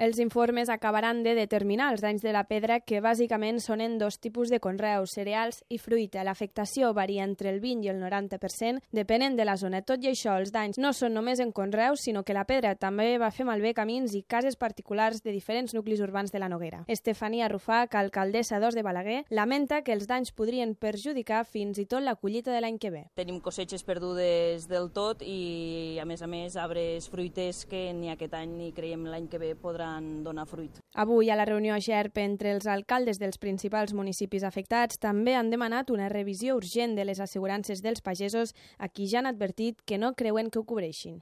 Els informes acabaran de determinar els danys de la pedra, que bàsicament són en dos tipus de conreus, cereals i fruita. L'afectació varia entre el 20 i el 90%, depenent de la zona. Tot i això, els danys no són només en conreus, sinó que la pedra també va fer malbé camins i cases particulars de diferents nuclis urbans de la Noguera. Estefania Rufach, alcaldessa d'Os de Balaguer, lamenta que els danys podrien perjudicar fins i tot la collita de l'any que ve. Tenim cossetges perdudes del tot i, a més, arbres fruiters que ni aquest any ni creiem l'any que ve podran donar fruit. Avui, a la reunió a Xerp entre els alcaldes dels principals municipis afectats, també han demanat una revisió urgent de les assegurances dels pagesos, a qui ja han advertit que no creuen que ho cobreixin.